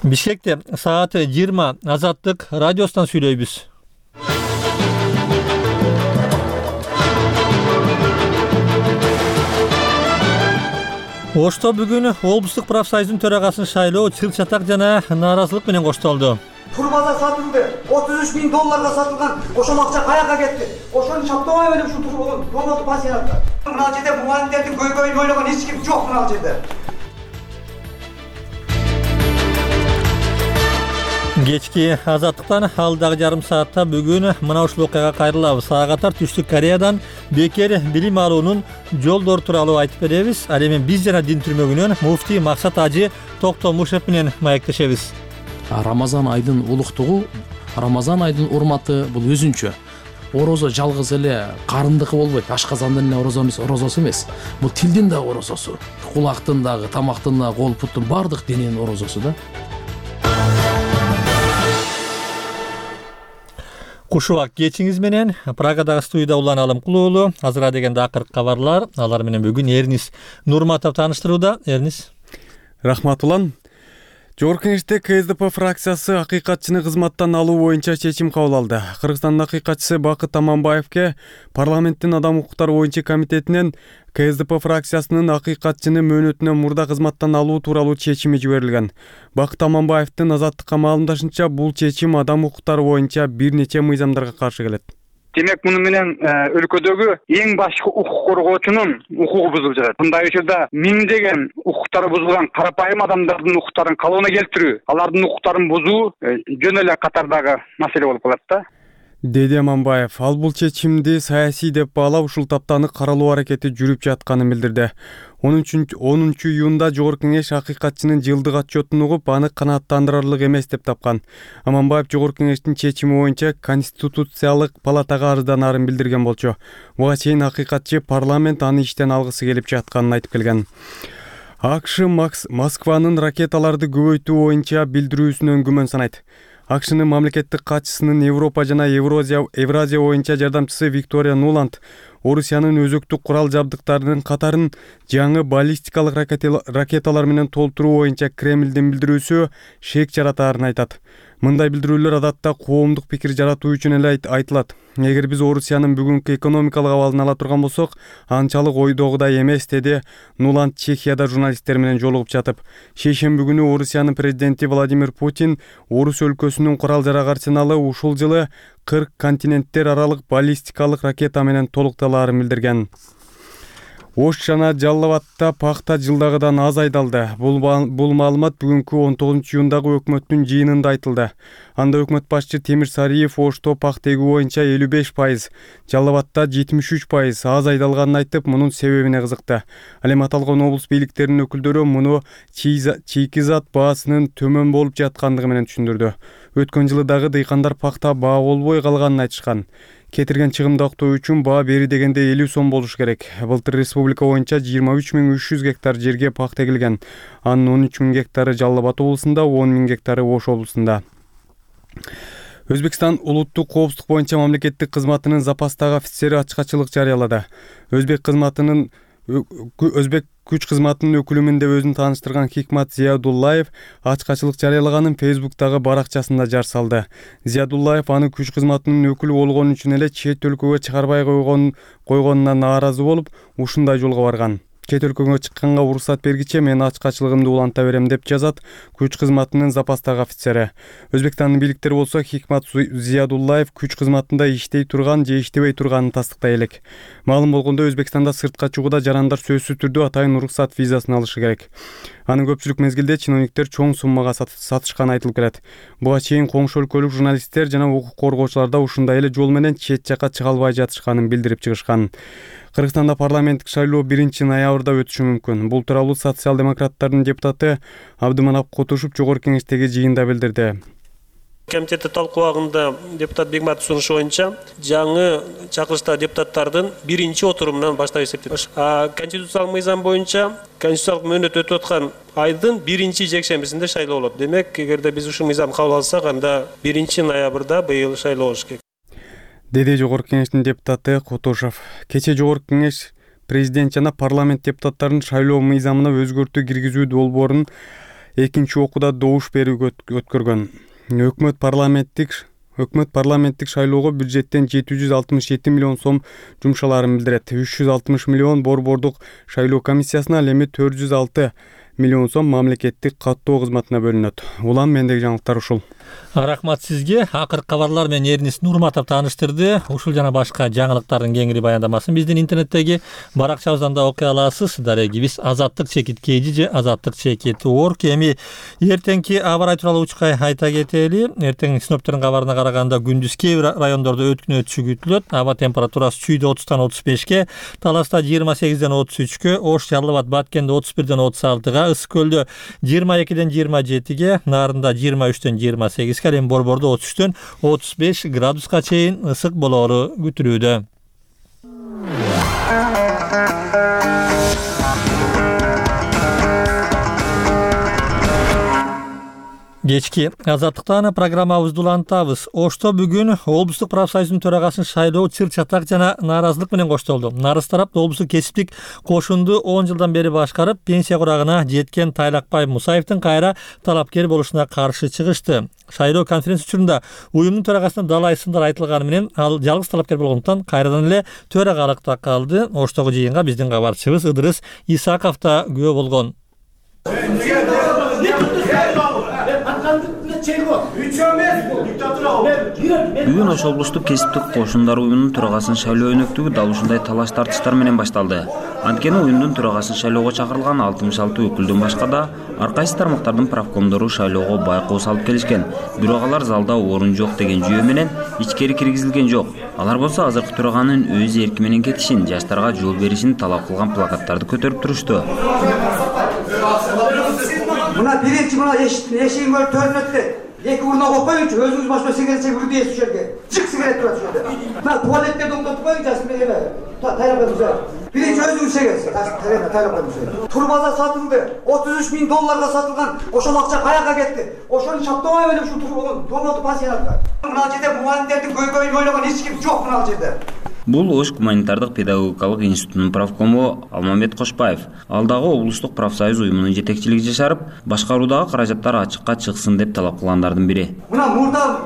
Бишкекте саат 20 Азаттык радиосунан сүйлөйбүз. Ошто бүгүн облустук профсоюздун төрагасын шайлоо чыр чатак жана нааразылык менен коштолду. Турбаза сатылды. $33.000 сатылган. Ошол акча каяка кетти? Ошону чаптабай эле ушул турбаза пансионатта. Мына жерде мугалимдердин көйгөйүн ойлогон эч ким жок мына жерде. Кечки Азаттыктан алдагы жарым саатта бүгүн мына ушул окуяга кайрылабыз. Сагатар Түштүк Кореядан бекер билим алуунун жолдору тууралуу айтып беребиз. Ал эми биз жана дин түрмөгүнөн муфтий Максат Ажы Токтомушев менен маектешебиз. Рамазан айдын улуктугу, Рамазан айдын урматы бул өзүнчө. Орозо жалгыз эле карындыкы болбойт, ашказандын эле орозосу эмес. Бул тилдин да орозосу, кулактын дагы, тамактын да, кол буттун бардык дененин орозосу да. Кушубак кечиңиз менен Прагадагы студияда Улан Алымкулуулу. Азырга дегенде акыркы кабарлар. Алар менен бүгүн Эрнис Нурматов тааныштырууда. Эрнис. Рахмат Улан. Жогорку Кеңеште КСДП фракциясы акыйкатчыны кызматтан алуу боюнча чечим кабыл алды. Кыргызстандын акыйкатчысы Бакыт Аманбаевке парламенттин адам укуктары боюнча комитетинен КСДП фракциясынын акыйкатчыны мөөнөтүнөн мурда кызматтан алуу тууралуу чечими жиберилген. Бакыт Аманбаевдин Азаттыкка маалымдашынча, бул чечим адам укуктары боюнча бир нече мыйзамдарга каршы келет. Демек, муну менен өлкөдөгү эң башкы укук коргоочунун укугу бузулуп жатат. Мындай учурда миңдеген укуктары бузулган карапайым адамдардын укуктарын калыбына келтирүү, алардын укуктарын бузуу жөн эле катардагы маселе болуп калат да. Деди Аманбаев, ал бул чечимди саясий деп баалап, ушул таптаны каралуу аракети жүрүп жатканын билдирди. 10 июнда Жогорку Кеңеш акыйкатчынын жылдык отчетун угуп, аны канааттандырарлык эмес деп тапкан. Аманбаев Жогорку Кеңештин чечими боюнча Конституциялык палатага арызданарын билдирген болчу. Буга чейин акыйкатчы парламент аны иштен алгысы келип жатканын айтып келген. АКШ Москванын ракеталарды көбөйтүү боюнча билдирүүсүнөн күмөн санайт. АКШнын мамлекеттик катчысынын Европа жана Евразия боюнча жардамчысы Виктория Нуланд Орусиянын өзөктүк курал жабдыктарынын катарын жаңы баллистикалык ракеталар менен толтуруу боюнча Кремлдин билдирүүсү шек жаратаарын айтат. Мындай билдирүүлөр адатта коомдук пикир жаратуу үчүн эле айтылат. Эгер биз Орусиянын бүгүнкү экономикалык абалын ала турган болсок, анчалык ойдогудай эмес, деди Нуланд Чехияда журналисттер менен жолугуп жатып. Шейшемби күнү Орусиянын президенти Владимир Путин Орус өлкөсүнүн курал жарак арсеналы ушул жылы 40 континенттер аралык баллистикалык ракета менен толукталаарын билдирген. Ош жана Жалал Абадта пахта жылдагыдан аз айдалды. Бул маалымат бүгүнкү 19 июндагы өкмөттүн жыйынында айтылды. Анда өкмөт башчы Темир Сариев Ошто пахта эгүү боюнча 55%, Жалал Абадта 73% аз айдалганын айтып, мунун себебине кызыкты. Ал эми аталган облус бийликтеринин өкүлдөрү муну чийкизат баасынын төмөн болуп жаткандыгы менен түшүндүрдү. Өткөн жылы дагы дыйкандар пахта баа болбой калганын айтышкан. Кетирген чыгымды актоо үчүн баа бери дегенде 50 сом болуш керек. Былтыр республика боюнча 23.300 гектар жерге пахта экилген. Анын 13.000 гектары Жалал Абад облусунда, 10.000 гектары Ош облусунда. Өзбекстан улуттук коопсуздук боюнча мамлекеттик кызматынын запастагы офицери ачкачылык жарыялады. Өзбек күч кызматынын өкүлүмүн деп өзүн тааныштырган Хикмат Зиядуллаев ачкачылык жарыялаганын Фейсбуктагы баракчасында жар салды. Зиядуллаев аны күч кызматынын өкүлү болгону үчүн эле чет өлкөгө чыгарбай койгонуна нааразы болуп, ушундай жолго барган. Чет өлкөгө чыкканга уруксат бергиче мен ачкачылыгымды уланта берем деп жазат күч кызматынын запастагы офицери. Өзбекстандын бийликтери болсо Хикмат Зиядуллаев күч кызматында иштей турган же иштебей турганын тастыктай элек. Маалым болгондой, Өзбекстанда сыртка чыгууда жарандар сөзсүз түрдө атайын уруксат визасын алышы керек. Аны көпчүлүк мезгилде чиновниктер чоң суммага сатышканы айтылып келет. Буга чейин коңшу өлкөлүк журналисттер жана укук коргоочулар да ушундай эле жол менен чет жакка чыга албай жатышканын билдирип чыгышкан. Кыргызстанда парламенттик шайлоо 1-ноябрда өтүшү мүмкүн. Бул тууралуу социал-демократтардын депутаты Абдыманап Кутушев Жогорку Кеңештеги жыйында билдирди. Комитетте талкуулагында депутат Бегматов сунушу боюнча жаңы чакырыштагы депутаттардын 1-отурумунан баштап эсептелет. Конституциялык мыйзам боюнча конституциялык мөөнөт өтүп аткан айдын 1-жекшембисинде шайлоо болот. Демек, эгерде биз ушул мыйзамды кабыл алсак, анда 1-ноябрда быйыл шайлоо болуш керек. Деди Жогорку Кеңештин депутаты Кутушев. Кече Жогорку Кеңеш президент жана парламент депутаттарынын шайлоо мыйзамына өзгөртүү киргизүү долбоорун экинчи окууда добуш берүүгө өткөргөн. Өкмөт парламенттик шайлоого бюджеттен 767 миллион сом жумшаларын билдирет. 360 миллион борбордук шайлоо комиссиясына, ал эми 406 миллион сом мамлекеттик каттоо кызматына бөлүнөт. Улан мендеги жаңылыктар ушул. Рахмат сизге. Акыркы кабарлар менен Эрнис Нурматов тааныштырды. Ушул жана башка жаңылыктардын кеңири баяндамасын биздин интернеттеги баракчабыздан да окуй аласыз. Дарегибиз Азаттык чекит kg же Азаттык чекит org. Эми эртеңки аба ырайы тууралуу учкай айта кетели. Эртең синоптиктердин кабарына караганда күндүз кээ бир райондордо өткүн өтүшү күтүлөт. Аба температурасы Чүйдө 30-тан 35ке, Таласта 28-ден 33-кө, Ош, Жалал Абад, Баткенде 31-ден 36-га, Ысык Көлдө 22-ден 27-ге, Нарында 23-тен 28-ге, эми Борбордо 33-төн 35 градуска чейин ысык болоору күтүлүүдө. Кечки Азаттыктан программабызды улантабыз. Ошто бүгүн облустук профсоюздун төрагасын шайлоо чыр-чатак жана нааразылык менен коштолду. Нарыз тарап облустук кесиптик кошунду 10 жылдан бери башкарып, пенсия курагына жеткен Тайлакбай Мусаевдин кайра талапкер болушуна каршы чыгышты. Шайлоо конференция учурунда уюмдун төрагасына далай сындар айтылганы менен ал жалгыз талапкер болгондуктан кайрадан эле төрагалыкта калды. Оштогу жыйынга биздин кабарчыбыз Ыдырыс Исаков да күбө болгон. Бүгүн Ош облустук кесиптик кошундар уюмунун төрагасын шайлоо өнөктүгү дал ушундай талаш тартыштар менен башталды. Анткени уюмдун төрагасын шайлоого чакырылган 66 өкүлдөн башка да ар кайсы тармактардын правкомдору шайлоого байкоо салып келишкен. Бирок алар залда орун жок деген жүйө менен ичкери киргизилген жок. Алар болсо азыркы төраганын өз эрки менен кетишин, жаштарга жол беришин талап кылган плакаттарды көтөрүп турушту. Мына биринчи мына эшигин көрүп төрүнөт дейт. Эки урна койчу, өзүңүз башка сигарет чегип үрдү эсип жерге. Чык сигарет турат ошол жерде. Мына туалеттерди оңдотуп койгун, жасын менен тайлап. Биринчи өзүңүз чегесиз. Тайлап. Турбаза сатылды. $33,000 сатылган. Ошол акча каяка кетти? Ошону чаптабай эле ушул турбаза пансионатка. Мына жерде мугалимдердин көйгөйүн ойлогон эч ким жок мына жерде. Бул Ош гуманитардык педагогикалык институтунун правкому Алмамбет Кошпаев. Ал дагы облустук профсоюз уюмунун жетекчилиги жашарып, башкаруудагы каражаттар ачыкка чыксын деп талап кылгандардын бири. Мына мурда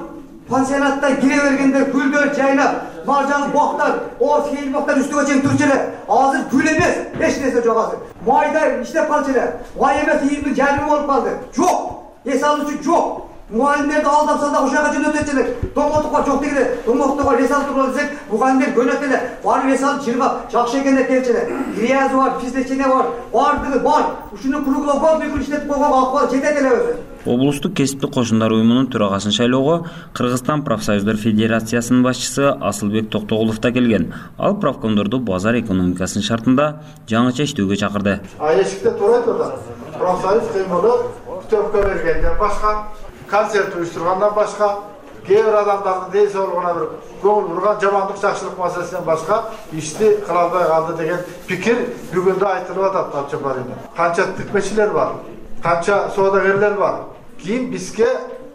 пансионатта кире бергендер гүлдөр жайнап, маржан боктар, орус кейил боктар үстүгө чейин турчу эле. Азыр гүл эмес, эч нерсе жок азыр. Майда иштеп калчу эле. Май эмес, ийиндин жарымы болуп калды. Жок. Эс алуучу жок. Мугалимдерди алдап салдак ошол жака жөнөтөт эле. Томоктукка жок дегенде, томоктукка эс алып турган десек, мугалимдер көнөт эле. Барып эс алып жыргап, жакшы экен деп келчү эле. Грязь бар, физлечение бар, бардыгы бар. Ушуну круглофон бүкүл иштетип койгон акыбар жетет эле өзү. Облустук кесиптик кошундар уюмунун төрагасын шайлоого Кыргызстан профсоюздар федерациясынын башчысы Асылбек Токтогулов да келген. Ал правкомдорду базар экономикасынын шартында жаңыча иштөөгө чакырды. Эшикте турат да. Профсоюз кыймылы төпкө бергенден башка, концерт уюштургандан башка, кээ бир адамдардын ден соолугуна бир көңүл бурган жамандык жакшылык маселесинен башка ишти кыла албай калды деген пикир бүгүн да айтылып атат Алчабарында. Канча тикмечилер бар, канча соодагерлер бар. Кийин бизге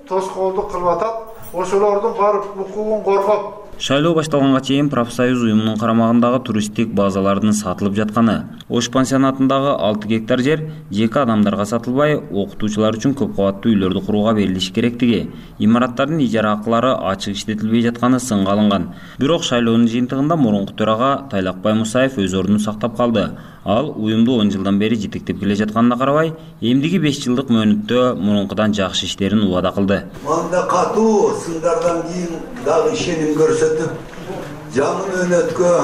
тоскоолдук кылып атат. Ошолордун барып укугун коргоп Шайлоо башталганга чейин профсоюз уюмунун карамагындагы туристтик базалардын сатылып жатканы, Ош пансионатындагы 6 гектар жер жеке адамдарга сатылбай, окутуучулар үчүн көп кабаттуу үйлөрдү курууга берилиши керектиги, имараттардын ижара акылары ачык иштетилбей жатканы сынга алынган. Бирок шайлоонун жыйынтыгында мурунку төрага Тайлакбай Мусаев өз ордун сактап калды. Ал уюмду 10 жылдан бери жетектеп келе жатканына карабай, эмдиги 5 жылдык мөөнөттө мурункудан жакшы иштерин убада кылды. Манда катуу сындардан кийин дагы ишеним көрсөтүп, жаңы мөөнөткө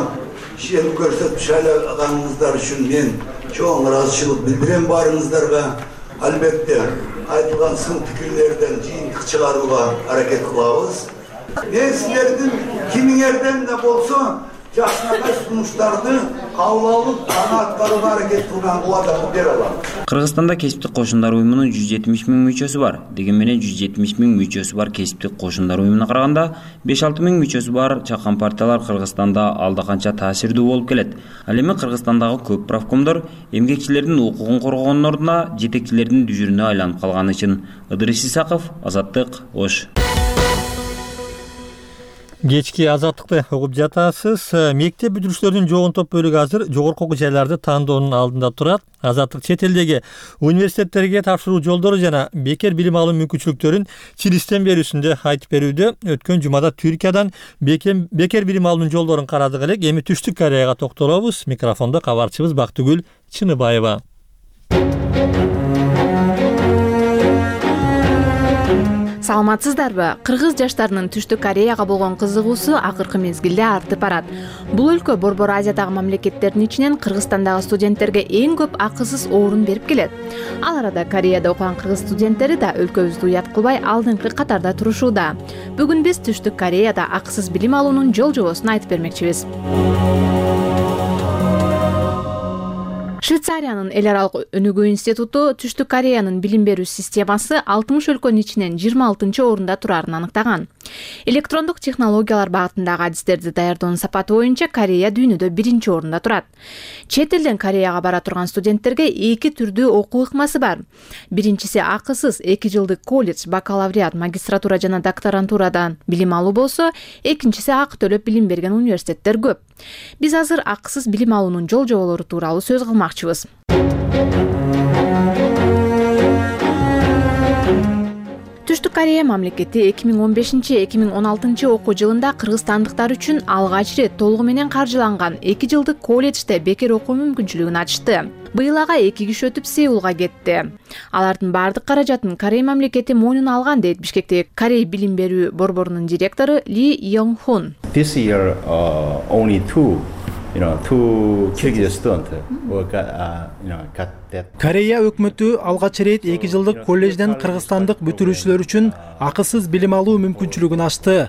ишеним көрсөтүп шайлаганыңыздар үчүн мен чоң ыраазычылык билдирем барыңыздарга. Албетте айтылган сын пикирлерден жыйынтык чыгарууга аракет кылабыз. Мен силердин кимиңерден да болсо жакшынакай сунуштарды кабыл алып, аны аткарууга аракет кылган убадамды бере алам. Кыргызстанда кесиптик кошундар уюмунун 170 000 мүчөсү бар. Деген менен 170 000 мүчөсү бар кесиптик кошундар уюмуна караганда 5-6 000 мүчөсү бар чакан партиялар Кыргызстанда алда канча таасирдүү болуп келет. Ал эми Кыргызстандагы көп правкомдор эмгекчилердин укугун коргоонун ордуна жетекчилердин дүжүрүнө айланып калганы үчүн. Ыдырыс Исаков, Азаттык, Ош. Кечки азаттыкты угуп жатасыз. Мектеп бүтүрүүчүлөрүнүн жогон бөлүгү азыр жогорку окуу жайларды тандоонун алдында турат. Азаттык чет элдеги университеттерге тапшыруу жолдору жана бекер билим алуу мүмкүнчүлүктөрүн чилистен берүүсүндө айтып берүүдө. Өткөн жумада Түркиядан бекер билим алуунун жолдорун карадык элек. Эми Түштүк Кореяга токтолобуз. Микрофондо кабарчыбыз Бактыгүл Чыныбаева. Саламатсыздарбы? Кыргыз жаштарынын Түштүк Кореяга болгон кызыгуусу акыркы мезгилде артып барат. Бул өлкө Борбор Азиядагы мамлекеттердин ичинен Кыргызстандагы студенттерге эң көп акысыз орун берип келет. Ал арада Кореяда окуган кыргыз студенттери да өлкөбүздү уят кылбай алдыңкы катарда турушууда. Бүгүн биз Түштүк Кореяда акысыз билим алуунун жол-жобосун айтып бермекчибиз. Швейцариянын эл аралык өнүгүү институту Түштүк Кореянын билим берүү системасы 60 өлкөнүн ичинен 26-орунда турарын аныктаган. Электрондук технологиялар багытындагы адистерди даярдоонун сапаты боюнча Корея дүйнөдө 1-орунда турат. Чет элден Кореяга бара турган студенттерге эки түрдүү окуу ыкмасы бар. Биринчиси акысыз 2 жылдык колледж, бакалавриат, магистратура жана докторантурадан билим алуу болсо, экинчиси акы төлөп билим берген университеттер көп. Биз азыр акысыз билим алуунун жол-жоболору тууралуу сөз кылмакчыбыз. Түштүк Корея мамлекети 2015-2016 окуу жылында кыргызстандыктар үчүн алгач рет толугу менен каржыланган 2 жылдык колледжде бекер окуу мүмкүнчүлүгүн ачты. Быйыл ага 2 киши өтүп Сеулга кетти. Алардын бардык каражатын Корея мамлекети мойнуна алган дейт Бишкектеги Корей билим берүү борборунун директору Ли Йонг-хун. This year only two Kyrgyz students got that. Корея өкмөтү алгач ирет 2 жылдык колледжден кыргызстандык бүтүрүүчүлөр үчүн акысыз билим алуу мүмкүнчүлүгүн ачты.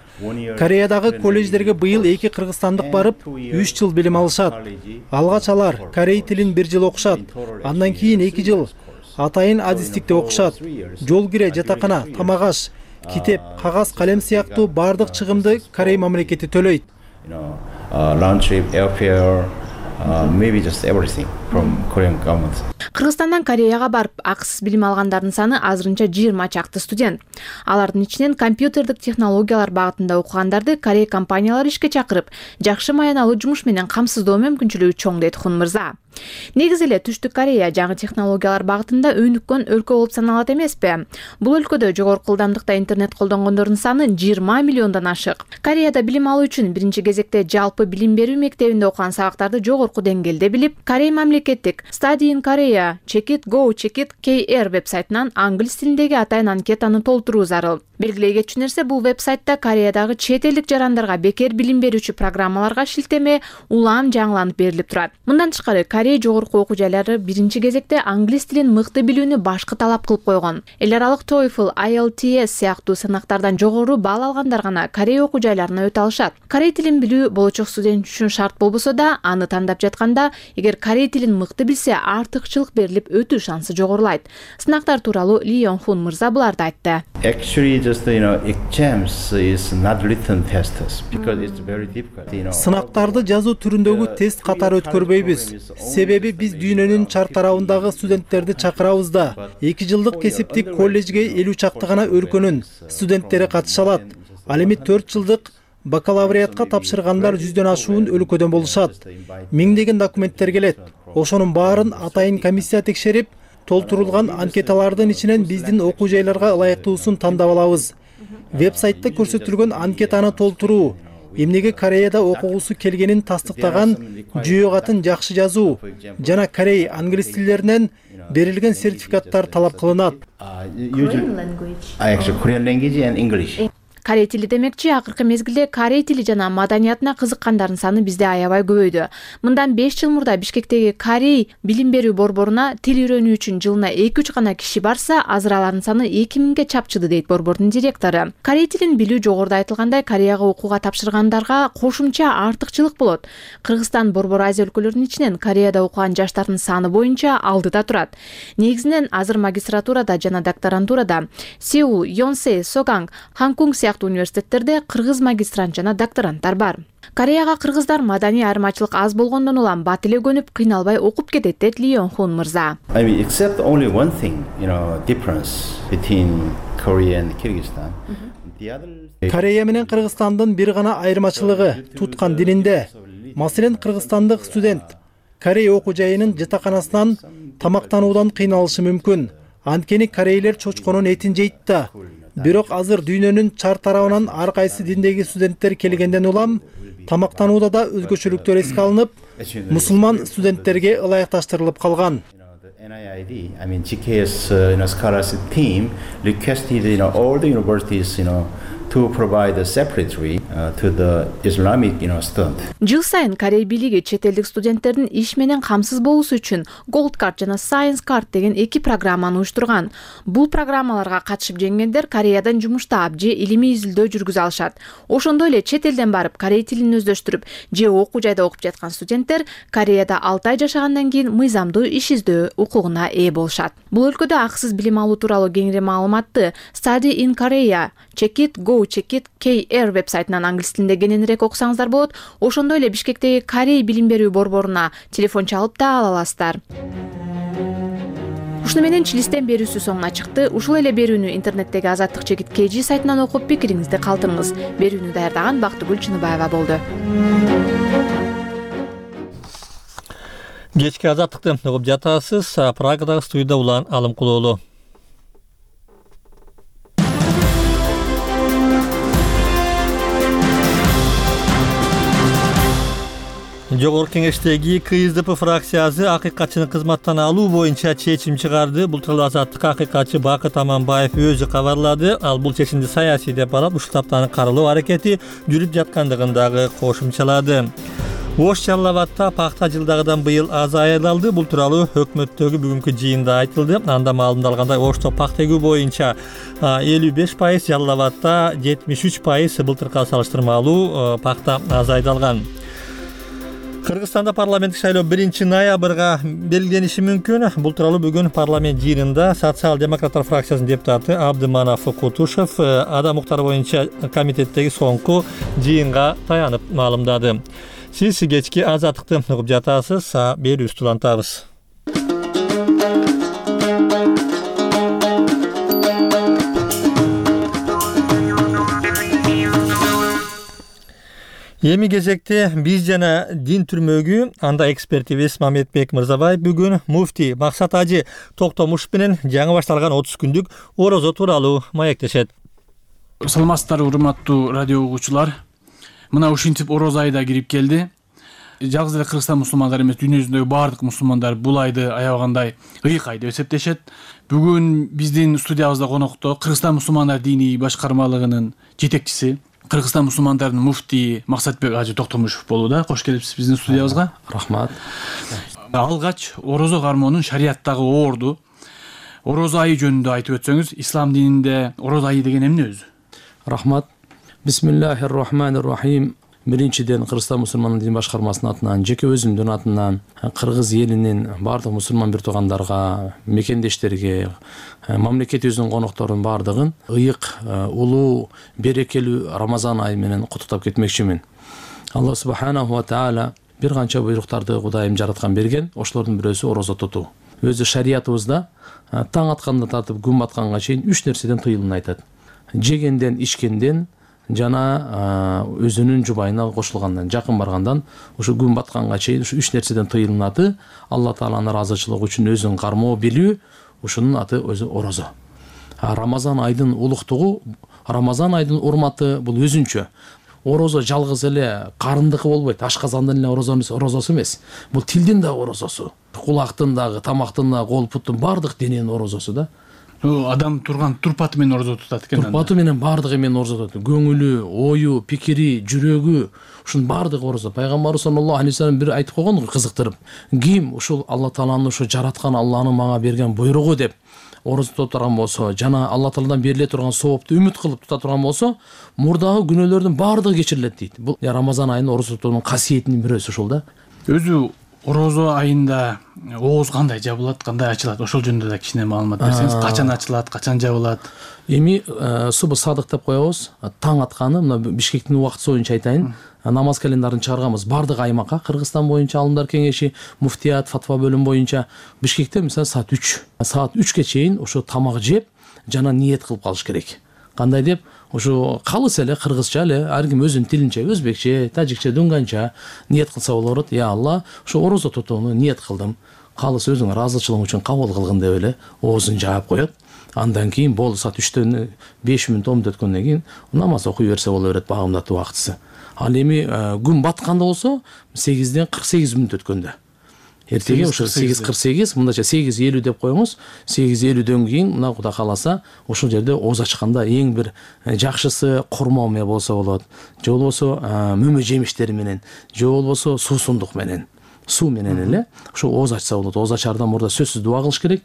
Кореядагы колледждерге быйыл 2 кыргызстандык барып 3 жыл билим алышат. Алгач алар корей тилин 1 жыл окушат, андан кийин 2 жыл атайын адистикте окушат. Жол кире, жатакана, тамак аш, китеп, кагаз, калем сыяктуу бардык чыгымды Корей мамлекети төлөйт. Round trip, airfare, maybe just everything from Korean government. Кыргызстандан Кореяга барып акысыз билим алгандардын саны азырынча 20 чакты студент. Алардын ичинен компьютердик технологиялар багытында окугандарды Корей компаниялары ишке чакырып, жакшы маяналуу жумуш менен камсыздоо мүмкүнчүлүгү чоң дейт Хун мырза. Негизи эле Түштүк Корея жаңы технологиялар багытында өнүккөн өлкө болуп саналат эмеспи? Бул өлкөдө жогорку ылдамдыкта интернет колдонгондордун саны 20 миллиондон ашык. Кореяда билим алуу үчүн биринчи кезекте жалпы билим берүү мектебинде окуган сабактарды жогорку деңгээлде билип, Корей мамлекеттик Study in Korea, Check it, Go, Check it, KR вебсайтынан англис тилиндеги атайын анкетаны толтуруу зарыл. Белгилей кетчү нерсе, бул вебсайтта Кореядагы чет элдик жарандарга бекер билим берүүчү программаларга шилтеме улам жаңыланып берилип турат. Мындан тышкары Корея жогорку окуу жайлары биринчи кезекте англис тилин мыкты билүүнү башкы талап кылып койгон. Эл аралык TOEFL, IELTS сыяктуу сынактардан жогору балл алгандар гана Корея окуу жайларына өтө алышат. Корей тилин билүү болочок студент үчүн шарт болбосо да, аны тандап жатканда, эгер корей тилин мыкты билсе, артыкчылык берилип өтүү шансы жогорулайт. Сынактар тууралуу Ли Йонг-хун мырза буларды айтты. Actually, just exams is not written tests because it's very difficult. Сынактарды жазуу түрүндөгү тест катары өткөрбөйбүз. Себеби биз дүйнөнүн чар тарабындагы студенттерди чакырабыз да. 2 жылдык кесиптик колледжге 50 чакты гана өлкөнүн студенттери катыша алат. Ал эми 4 жылдык бакалавриатка тапшыргандар 100дөн ашуун өлкөдөн болушат. Миңдеген документтер келет. Ошонун баарын атайын комиссия текшерип, толтурулган анкеталардын ичинен биздин окуу жайларга ылайыктуусун тандап алабыз. Вебсайтта көрсөтүлгөн анкетаны толтуруу, эмнеге Кореяда окугусу келгенин тастыктаган жүйө катын жакшы жазуу жана корей англис тилдеринен берилген сертификаттар талап кылынат. Korean language and English. Корей тили демекчи, акыркы мезгилде корей тили жана маданиятына кызыккандардын саны бизде аябай көбөйдү. Мындан 5 жыл мурда Бишкектеги Корей билим берүү борборуна тил үйрөнүү үчүн жылына 2-3 гана киши барса, азыр алардын саны 2000ге чапчыды дейт борбордун директору. Корей тилин билүү жогоруда айтылгандай Кореяга окууга тапшыргандарга кошумча артыкчылык болот. Кыргызстан Борбор Азия өлкөлөрүнүн ичинен Кореяда окуган жаштардын саны боюнча алдыда турат. Негизинен азыр магистратурада жана докторантурада Сеул, Йонсе, Соганг, Ханкунг университеттерде кыргыз магистрант жана докторанттар бар. Кореяга кыргыздар маданий айырмачылык аз болгондон улам бат эле көнүп, кыйналбай окуп кетет дейт Ли Йонг-хун мырза. I mean, except only one thing, difference between Korea and Kyrgyzstan. Корея менен Кыргызстандын бир гана айырмачылыгы туткан дининде. Маселен, кыргызстандык студент Корея окуу жайынын жатаканасынан тамактануудан кыйналышы мүмкүн. Анткени корейлер чочконун этин жейт да. Бирок азыр дүйнөнүн чар тарабынан ар кайсы диндеги студенттер келгенден улам тамактанууда да өзгөчөлүктөр эске алынып, мусулман студенттерге ылайыкташтырылып калган. NIID, I mean GKS scholarship team requested all the universities to provide a separately to the Islamic student. Жыл сайын Корей бийлиги чет элдик студенттердин иш менен камсыз болуусу үчүн Gold Card жана Science Card деген эки программаны уюштурган. Бул программаларга катышып жеңгендер Кореядан жумуштап же илимий изилдөө жүргүзө алышат. Ошондой эле чет элден барып корей тилин өздөштүрүп же окуу жайда окуп жаткан студенттер Кореяда 6 ай жашагандан кийин мыйзамдуу иш издөө укугуна ээ болушат. Бул өлкөдө акысыз билим алуу тууралуу кеңири маалыматты Study in Korea, Check it, Go Check it KR вебсайтынан англис тилинде кененирээк окусаңыздар болот. Ошондой эле Бишкектеги Корей билим берүү борборуна телефон чалып да ала аласыздар. Ушуну менен Чилистен берүүсү соңуна чыкты. Ушул эле берүүнү интернеттеги Азаттык Чекит KG сайтынан окуп пикириңизди калтырыңыз. Берүүнү даярдаган Бактыгүл Чыныбаева болду. Кечки Азаттыкты угуп жатасыз. Прагадагы студияда Улан Алымкулоолу. Жогорку кеңештеги КСДП фракциясы акыйкатчыны кызматтан алуу боюнча чечим чыгарды. Бул тууралуу Азаттыкка акыйкатчы Бакыт Аманбаев өзү кабарлады. Ал бул чечимди саясий деп атап, ушул таптаны каралоо аракети жүрүп жаткандыгын дагы кошумчалады. Ош Жалал Абадта пахта жылдагыдан быйыл аз аялалды. Бул тууралуу өкмөттөгү бүгүнкү жыйында айтылды. Анда маалымдалгандай Ошто пахта эгүү боюнча 55%, Жалал Абадта 73% былтыркыга салыштырмалуу пахта азайдалган. Кыргызстанда парламенттик шайлоо 1-ноябрга белгилениши мүмкүн. Бул тууралуу бүгүн парламент жыйынында Социал-демократтар фракциясынын депутаты Абдыманов Кутушев адам укуктары боюнча комитеттеги соңку жыйынга таянып маалымдады. Сиз кечки Азаттыкты угуп жатасыз. Берүүбүздү улантабыз. Эми кезекте биз жана дин түрмөгү анда экспертибиз Мамедбек Мырзабаев бүгүн муфти Максат Ажы Токтомушев менен жаңы башталган 30 күндүк орозо тууралуу маектешет. Саламатсыздарбы, урматтуу радио угуучулар. Мына ушинтип орозо айда кирип келди. Жалгыз эле Кыргызстан мусулмандары эмес, дүйнө жүзүндөгү баардык мусулмандар бул айды аябагандай ыйык ай деп эсептешет. Бүгүн биздин студиябызда конокто Кыргызстан мусулмандар диний башкармалыгынын жетекчиси, Кыргызстан мусулмандарынын муфтии Максатбек Ажы Токтомушев болууда. Кош келипсиз биздин студиябызга. Рахмат. Алгач орозо кармоонун шарияттагы орду, орозо айы жөнүндө айтып өтсөңүз, ислам дининде орозо айы деген эмне өзү? Рахмат. Бисмиллахир-рахманир-рахим. Биринчиден Кыргызстан мусулмандын дин башкармасынын атынан, жеке өзүмдүн атынан кыргыз элинин баардык мусулман бир туугандарга, мекендештерге, мамлекетибиздин конокторунун баардыгын ыйык, улуу, берекелүү Рамазан айы менен куттуктап кетмекчимин. Алла субханаху ва таала бир канча буйруктарды Кудайым жараткан берген, ошолордун бирөөсү орозо тутуу. Өзү шариятыбызда таң аткандан тартып күн батканга чейин 3 нерседен тыйылууну айтат. Жегенден, ичкенден жана өзүнүн жубайына кошулгандан, жакын баргандан ушу күн батканга чейин ушу 3 нерседен тыйылынаты. Алла тааланын ыраазычылыгы үчүн өзүн кармоо билүү, ушунун аты өзү орозо. Рамазан айдын улуктугу, Рамазан айдын урматы бул өзүнчө. Орозо жалгыз эле карындыкы болбойт, ашказандын эле орозосу эмес. Бул тилдин да орозосу, кулактын дагы, тамактын да, кол буттун баардык дененин орозосу да. Адам турган турпаты менен орозо тутат экен. Турпаты менен баардыгы менен орозо тутат. Көңүлү, ою, пикири, жүрөгү, ушунун баардыгы орозо. Пайгамбарыбыз саллаллаху алейхи вассалам бир айтып койгон кызыктырып. Ким ушул Алла тааланын ушу жараткан Алланын мага берген буйругу деп орозо тута турган болсо, жана Алла тааладан бериле турган соопту үмүт кылып тута турган болсо, мурдагы күнөөлөрдүн баардыгы кечирилет дейт. Бул Рамазан айынын орозо тутуунун касиетинин бирөөсү ушул да. Өзү орозо айында ооз кандай жабылат, кандай ачылат? Ошол жөнүндө да кичине маалымат берсеңиз. Качан ачылат, качан жабылат? Эми субы садык деп коебуз. Таң атканы, мына Бишкектин убактысы боюнча айтайын. Намаз календарын чыгарганбыз баардык аймакка, Кыргызстан боюнча Алымдар кеңеши, муфтият, фатва бөлүм боюнча. Бишкекте мисалы саат 3. Саат 3ке чейин ошо тамак жеп, жана ниет кылып калыш керек. кандай деп ушу калыс эле кыргызча эле ар ким өзүнүн тилинче өзбекче, тажикче, дуңганча ниет кылса болот. Я Алла, ушу орозо тутууну ниет кылдым. Калыс өзүң ыраазычылыгың үчүн кабыл кылгын деп эле оозун жаап коет. Андан кийин болду саат 3төн 5 мүнөт 10 мүнөт өткөндөн кийин намаз окуй берсе боло берет багымдатуу убактысы. Ал эми күн батканда болсо 8ден 48 мүнөт өткөндө. Эртеге ошо 8:48, мындайча 8:50 деп коюңуз. 8:50дөн кийин мына Кудай кааласа ошол жерде ооз ачканда эң бир жакшысы кормо мээ болсо болот. Же болбосо мөмө жемиштери менен, же болбосо суусундук менен. Суу менен эле ошо ооз ачса болот. Ооз ачаардан мурда сөзсүз дуа кылыш керек.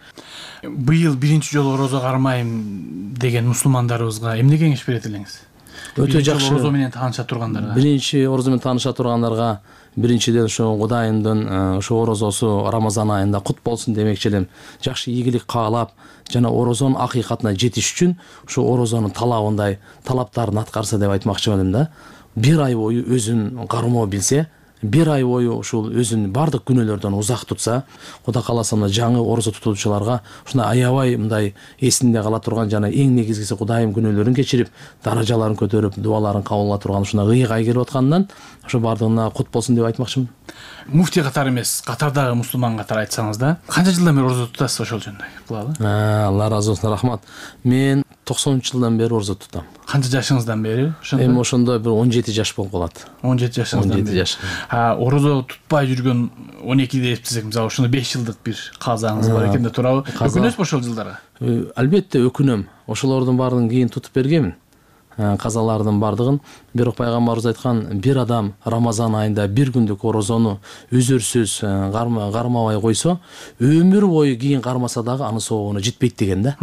Быйыл биринчи жолу орозо кармайм деген мусулмандарыбызга эмне кеңеш берет элеңиз? Өтө жакшы. Орозо менен тааныша тургандарга. Биринчи орозо менен тааныша тургандарга биринчиден ошо Кудайымдын ошо орозосу Рамазан айында кут болсун демекчи элем. Жакшы ийгилик каалап, жана орозонун акыйкатына жетиш үчүн ошо орозонун талабындай талаптарын аткарса деп айтмакчы элем да. Бир ай бою өзүн кармоо билсе, бир ай бою ушул өзүн бардык күнөөлөрдөн узак тутса, Кудай кааласа мына жаңы орозо тутуучуларга ушундай аябай мындай эсинде кала турган жана эң негизгиси Кудайым күнөөлөрүн кечирип, даражаларын көтөрүп, дуаларын кабыл ала турган ушундай ыйык келип аткандан ошо бардыгына кут болсун деп айтмакчымын. Муфтий катары эмес, катардагы мусулман катары айтсаңыз да, канча жылдан бери орозо тутасыз ошол жөнүндө? Кылалы. Алла ыраазы болсун, рахмат. Мен 90-жылдан бери орозо тутам. Канча жашыңыздан бери? Эми ошондо бир 17 жаш болуп калат. 17 жашыңыздан бери. 17 жаш. Орозо тутпай жүргөн 12 эсептесек, мисалы ошондо 5 жылдык бир казаңыз бар экен да туурабы? Өкүнөсүзбү ошол жылдары? Албетте өкүнөм. Ошолордун баардыгын кийин тутуп бергенмин. Казалардын бардыгын. Бирок пайгамбарыбыз айткан, бир адам Рамазан айында бир күндүк орозону үзүрсүз кармабай койсо, өмүр бою кийин кармаса дагы анын соогуна жетпейт деген да.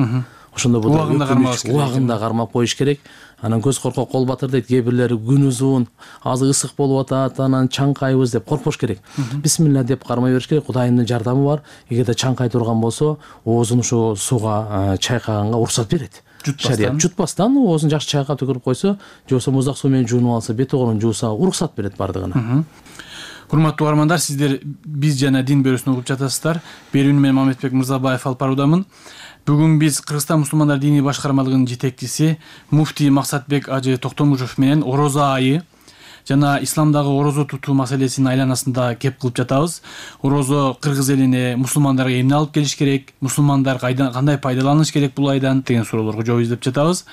Ошондо бул убагында кармап коюш керек. Анан көз коркок кол батыр дейт. Кээ бирлери күн узун, азыр ысык болуп атат, анан чаңкайбыз деп коркпош керек. Бисмилла деп кармай бериш керек. Кудайымдын жардамы бар. Эгерде чаңкай турган болсо, оозун ошо сууга чайкаганга уруксат берет. Шарият жутпастан оозун жакшы чайкап түкүрүп койсо, же болбосо муздак суу менен жуунуп алса, бет огурун жууса, уруксат берет бардыгына. Урматтуу угармандар, сиздер биз жана дин бөлөсүн угуп жатасыздар. Берүүнү мен Мамедбек Мырзабаев алып баруудамын. Бүгүн биз Кыргызстан мусулмандар диний башкармалыгынын жетекчиси муфтий Максатбек Ажы Токтомушев менен орозо айы жана исламдагы орозо тутуу маселесинин айланасында кеп кылып жатабыз. Орозо кыргыз элине, мусулмандарга эмне алып келиш керек, мусулмандар кандай пайдаланыш керек бул айдан деген суроолорго жооп издеп жатабыз.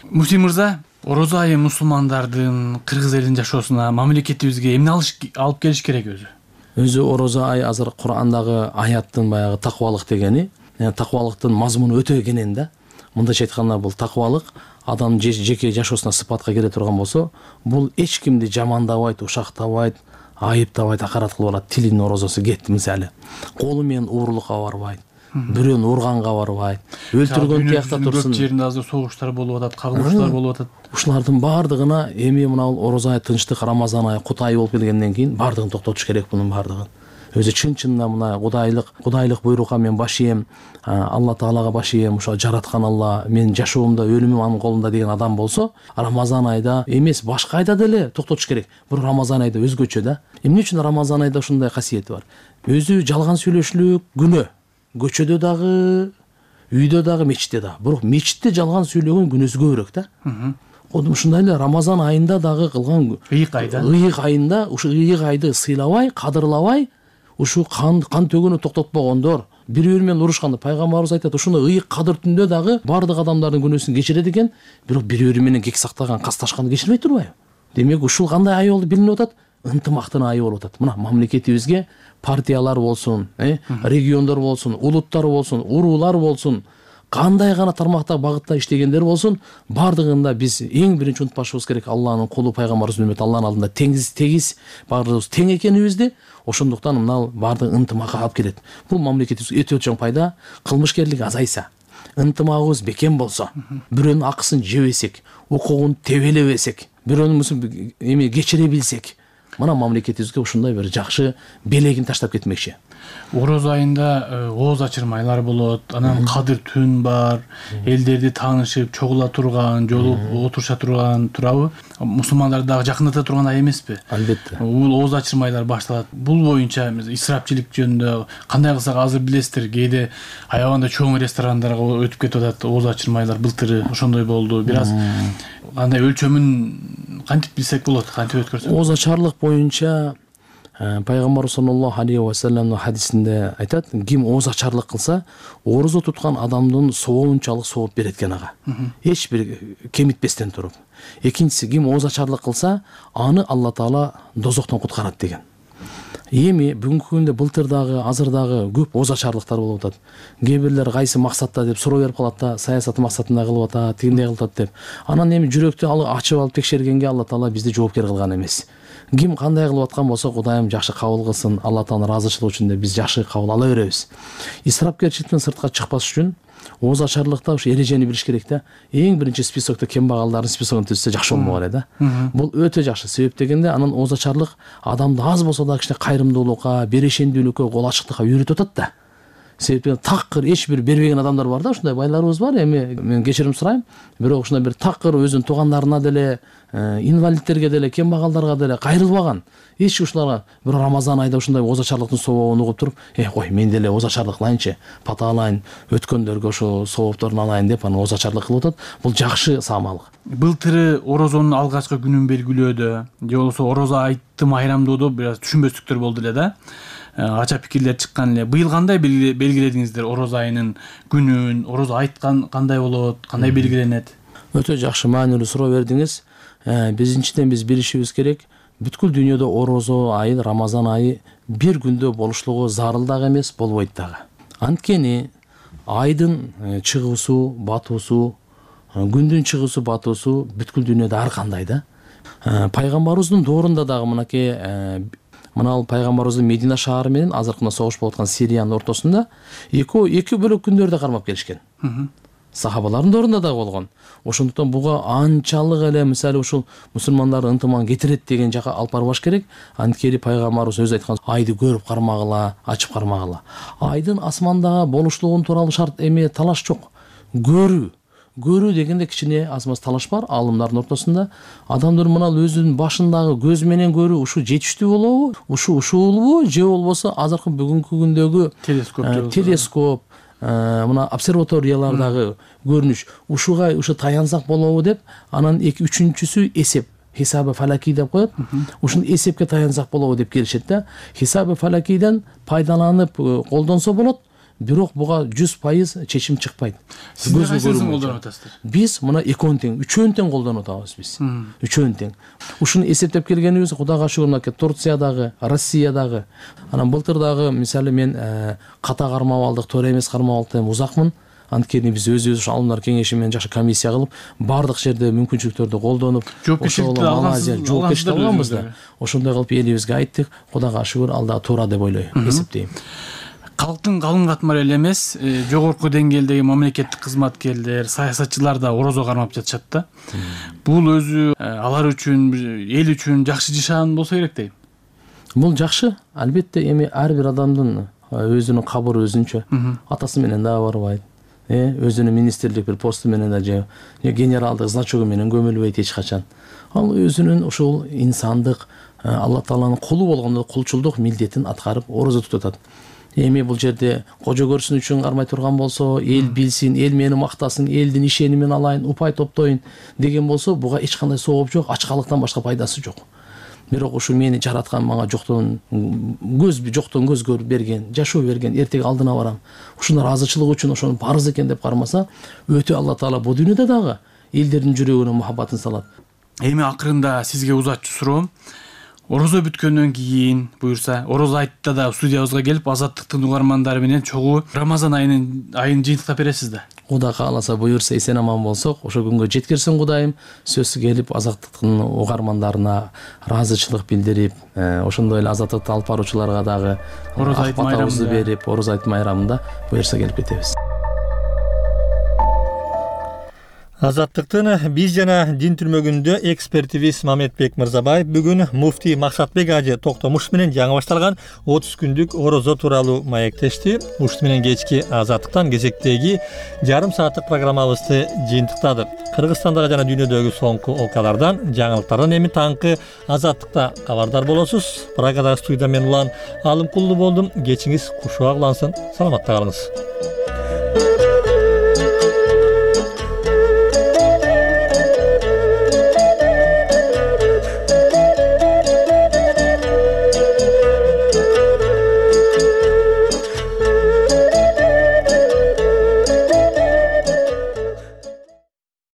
Муфтий мырза, орозо айы мусулмандардын кыргыз элинин жашоосуна, мамлекетибизге эмне алып келиш керек өзү? Өзү орозо ай азыр Кур'андагы аяттын баягы таквалык дегени, таквалыктын мазмуну өтө кенен да. Мындайча айтканда бул таквалык адам жеке жашоосуна сыпатка келе турган болсо, бул эч кимди жамандабайт, ушактабайт, айыптабайт, акарат кылып алат. Тилинин орозосу кетти мисалы. Колу менен уурулукка барбайт, бирөөнү урганга барбайт, өлтүргөн тиякта турсун. Көп жеринде азыр согуштар болуп атат, кагылыштар болуп атат. Ушулардын бардыгына эми мына орозо ай, тынчтык, Рамазан айы, кут айы болуп келгенден кийин бардыгын токтотуш керек бунун бардыгын. Өзү чын-чынында мына кудайлык буйрукка мен баш ийем, Алла Таалага баш ийем, ошо жараткан Алла менин жашоомдо өлүмүм анын колунда деген адам болсо, Рамазан айда эмес, башка айда деле токтотуш керек. Бирок Рамазан айда өзгөчө да. Эмне үчүн Рамазан айда ушундай касиети бар? Өзү жалган сүйлөшүлүк күнөө. Көчөдө дагы, үйдө дагы, мечитте дагы. Бирок мечитте жалган сүйлөгөн күнөөсү көбүрөөк да. Ошондой эле Рамазан айында дагы кылган ыйык айында ушу ыйык айды сыйлабай, кадырлабай, ушу кан төгүүнү токтотпогондор, бири-бири менен урушканда пайгамбарыбыз айтат, ушундай ыйык кадыр түндө дагы бардык адамдардын күнөөсүн кечирет экен, бирок бири-бири менен кек сактаган, касташканды кечирбей турбайбы? Демек ушул кандай ай болуп билинип атат? Ынтымактын айы болуп атат. Мына мамлекетибизге партиялар болсун, региондор болсун, улуттар болсун, уруулар болсун, кандай гана тармакта багытта иштегендер болсун, бардыгында биз эң биринчи унутпашыбыз керек Алланын кулу пайгамбарыбыздын үммөтү, Алланын алдында тегиз бардыгыбыз тең экенибизди. Ошондуктан мына бардык ынтымакка алып келет. Бул мамлекетибизге өтө чоң пайда. Кылмышкерлик азайса, ынтымагыбыз бекем болсо, бирөөнүн акысын жебесек, укугун тебелебесек, бирөөнүн кечире билсек, мына мамлекетибизге ушундай бир жакшы белегин таштап кетмекчи. Ороз айында ооз ачырмайлар болот, анан кадыр түн бар, элдерди таанышып, чогула турган, жолуп отуруша турган турабы? Мусулмандарды дагы жакындата турган ай эмеспи? Албетте. Бул ооз ачырмайлар башталат. Бул боюнча исрапчылык жөнүндө кандай кылсак азыр билесиздер, кээде аябаганда чоң ресторандарга өтүп кетип атат ооз ачырмайлар. Былтыры ошондой болду. Бир аз кандай өлчөмүн кантип билсек болот, кантип өткөрсөк? Ооз ачарлык боюнча пайгамбар саллаллаху алейхи ва салламдын хадисинде айтат, ким ооз ачарлык кылса, орозо туткан адамдын сообунчалык сооп берет экен ага. Эч бир кемитпестен туруп. Экинчиси, ким ооз ачарлык кылса, аны Алла Таала дозоктон куткарат деген. Эми бүгүнкү күндө былтыр дагы, азыр дагы көп ооз ачарлыктар болуп атат. Кээ бирлер кайсы максатта деп суроо берип калат да, саясат максатында кылып атат, тигиндей кылып атат деп. Анан эми жүрөктү ачып алып текшергенге Алла Таала бизди жоопкер кылган эмес. Ким кандай кылып аткан болсо, Кудайым жакшы кабыл кылсын, Алла Тааланын ыраазычылыгы үчүн деп биз жакшы кабыл ала беребиз. Исрапкерчиликтен сыртка чыкпаш үчүн ооз ачарлыкта ушу эрежени билиш керек да. Эң биринчи списокто кембагалдардын списогун түзсө жакшы болмок эле да. Бул өтө жакшы. Себеп дегенде анан ооз ачарлык адамды аз болсо да кичине кайрымдуулукка, берешендүүлүккө, кол ачыктыкка үйрөтүп атат да. Себеби такыр эч бир бербеген адамдар бар да, ушундай байларыбыз бар. Эми мен кечирим сурайм, бирок ушундай бир такыр өзүнүн туугандарына деле, инвалидтерге деле, кембагалдарга деле кайрылбаган. Эч ушуларга бир Рамазан айда ушундай ооз ачарлыктын сообун угуп туруп, кой мен деле ооз ачарлык кылайынчы, патаалайын, өткөндөргө ошо соопторун алайын деп анан ооз ачарлык кылып атат. Бул жакшы самалык. Былтыры орозонун алгачкы күнүн белгилөөдө, же болбосо орозо айтты майрамдоодо бир аз түшүнбөстүктөр болду эле да. Ача пикирлер чыккан эле. Быйыл кандай белгиледиңиздер орозо айынын күнүн? Орозо айткан кандай болот? Кандай белгиленет? Өтө жакшы, маанилүү суроо бердиңиз. Биринчиден биз билишибиз керек, бүткүл дүйнөдө орозо айы, Рамазан айы бир күндө болушлугу зарыл дагы эмес, болбойт дагы. Анткени айдын чыгуусу, батуусу, күндүн чыгуусу, батуусу бүткүл дүйнөдө ар кандай да. Пайгамбарыбыздын доорунда дагы мынакей мына пайгамбарыбыздын Медина шаары менен азыркы мына согуш болуп аткан Сириянын ортосунда эки бөлөк күндөрдө кармап келишкен. Сахабалардын доорунда да болгон. Ошондуктан буга анчалык эле мисалы ушул мусулмандардын ынтымагын кетирет деген жака алып барбаш керек. Анткени пайгамбарыбыз өзү айткан, айды көрүп кармагыла, ачып кармагыла. Айдын асмандагы болушлугун тууралуу шарт эме талаш жок. Көрүү дегенде кичине аз-маз талаш бар алымдардын ортосунда. Адамдар мына өзүнүн башындагы көз менен көрүү ушу жетиштүү болобу? Ушулбу же болбосо азыркы бүгүнкү күндөгү телескоп, мына обсерваториялардагы көрүнүш ушу таянсак болобу деп, анан үчүнчүсү эсеп. Хисабы фалаки деп коет. Ушун эсепке таянсак болобу деп келишет да. Хисабы фалакиден пайдаланып колдонсо болот. Бирок буга 100% чечим чыкпайт. Сиздер кайсысын колдонуп атасыздар? Биз мына экөөнү тең, үчөөнү тең колдонуп атабыз биз. Үчөөнү тең. Ушуну эсептеп келгенибиз Кудайга шүгүр мына Турциядагы, Россиядагы, анан былтыр дагы мисалы мен ката кармап алдык, туура эмес кармап алдык деп узакмын. Анткени биз өзүбүз алымдар кеңеши менен жакшы комиссия кылып, бардык жерде мүмкүнчүлүктөрдү колдонуп, жоопкерчиликти алганбыз да. Ошондой кылып элибизге айттык. Кудайга шүгүр алда туура деп ойлойм, эсептейм. Калктын калың катмары эле эмес, жогорку деңгээлдеги мамлекеттик кызматкерлер, саясатчылар да орозо кармап жатышат да. Бул өзү алар үчүн, эл үчүн жакшы жашаган болсо керек дейм. Бул жакшы, албетте. Эми ар бир адамдын өзүнүн кабыры өзүнчө. Атасы менен дагы барбайт. Өзүнүн министрлик бир посту менен да же генералдык значогу менен көмүлбөйт эч качан. Ал өзүнүн ушул инсандык, Алла Тааланын кулу болгондо кулчулдук милдетин аткарып орозо тутуп атат. Эми бул жерде кожо көрсүн үчүн кармай турган болсо, эл билсин, эл мени мактасын, элдин ишенимин алайын, упай топтойн деген болсо, буга эч кандай сооп жок, ачкалыктан башка пайдасы жок. Бирок ушу мени жараткан, мага жоктон көз көрүп берген, жашоо берген, эртеги алдына барам. Ушунун ыраазычылыгы үчүн ошону парыз экен деп кармаса, өтө Алла Таала бул дүйнөдө дагы элдердин жүрөгүнө мухаббатын салат. Эми акырында сизге узатчу суроом. Орозо бүткөндөн кийин, буюрса, орозо айтта да студиябызга келип, Азаттыктын угармандары менен чогуу Рамазан айын жыйынтыктап бересиз да. Кудай кааласа, буюрса, эсен аман болсок, ошо күнгө жеткирсин Кудайым. Сөзсүз келип, Азаттыктын угармандарына ыраазычылык билдирип, ошондой эле Азаттыкты алып баруучуларга дагы акпатабызды берип, Ороз айт майрамында буюрса келип кетебиз. Азаттыктын биз жана дин түрмөгүндө экспертибиз Мамедбек Мырзабаев бүгүн муфтий Максатбек ажы Токтомуш менен жаңы башталган 30 күндүк орозо тууралуу маектешти. Ушул менен кечки Азаттыктан кезектеги жарым сааттык программабызды жыйынтыктадык. Кыргызстандагы жана дүйнөдөгү соңку окуялардан, жаңылыктардан эми таңкы Азаттыкта кабардар болосуз. Прагада студияда мен Улан Алымкулду болдум. Кечиңиз кушуак улансын. Саламатта калыңыз.